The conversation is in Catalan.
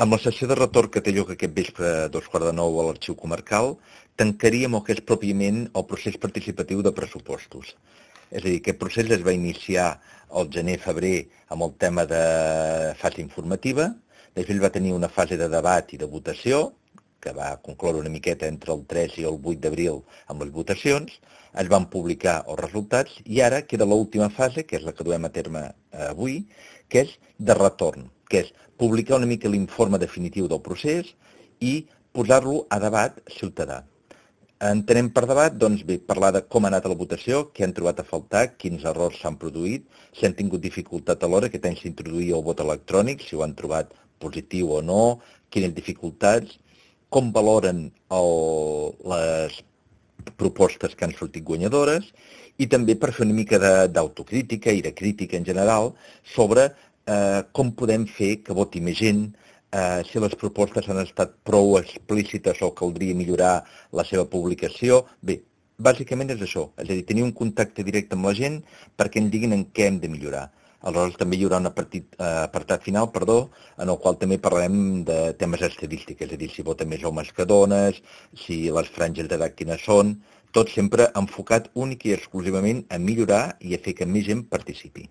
Amb la sessió de retorn que té lloc aquest vespre a 2:15 a l'Arxiu Comarcal, tancaríem el que és pròpiament el procés participatiu de pressupostos. És a dir, aquest procés es va iniciar al gener-febrer amb el tema de fase informativa, després va tenir una fase de debat i de votació, que va concloure una miqueta entre el 3 i el 8 d'abril amb les votacions, es van publicar els resultats i ara queda l'última fase, que és la que duem a terme avui, que és de retorn, que és publicar una mica l'informe definitiu del procés i posar-lo a debat ciutadà. Entenem per debat, doncs bé, parlar de com ha anat la votació, què han trobat a faltar, quins errors s'han produït, si han tingut dificultat a l'hora, aquest any s'introduïa el vot electrònic, si ho han trobat positiu o no, quines dificultats, com valoren les propostes que han sortit guanyadores i també per fer una mica d'autocrítica i de crítica en general sobre com podem fer que voti més gent, si les propostes han estat prou explícites o caldria millorar la seva publicació. Bé, bàsicament és això, és a dir, tenir un contacte directe amb la gent perquè ens diguin en què hem de millorar. Aleshores també hi haurà un apartat final, en el qual també parlarem de temes estadístics, és a dir, si voten més homes que dones, si les franges d'edat quines són, tot sempre enfocat únic i exclusivament a millorar i a fer que més gent participi.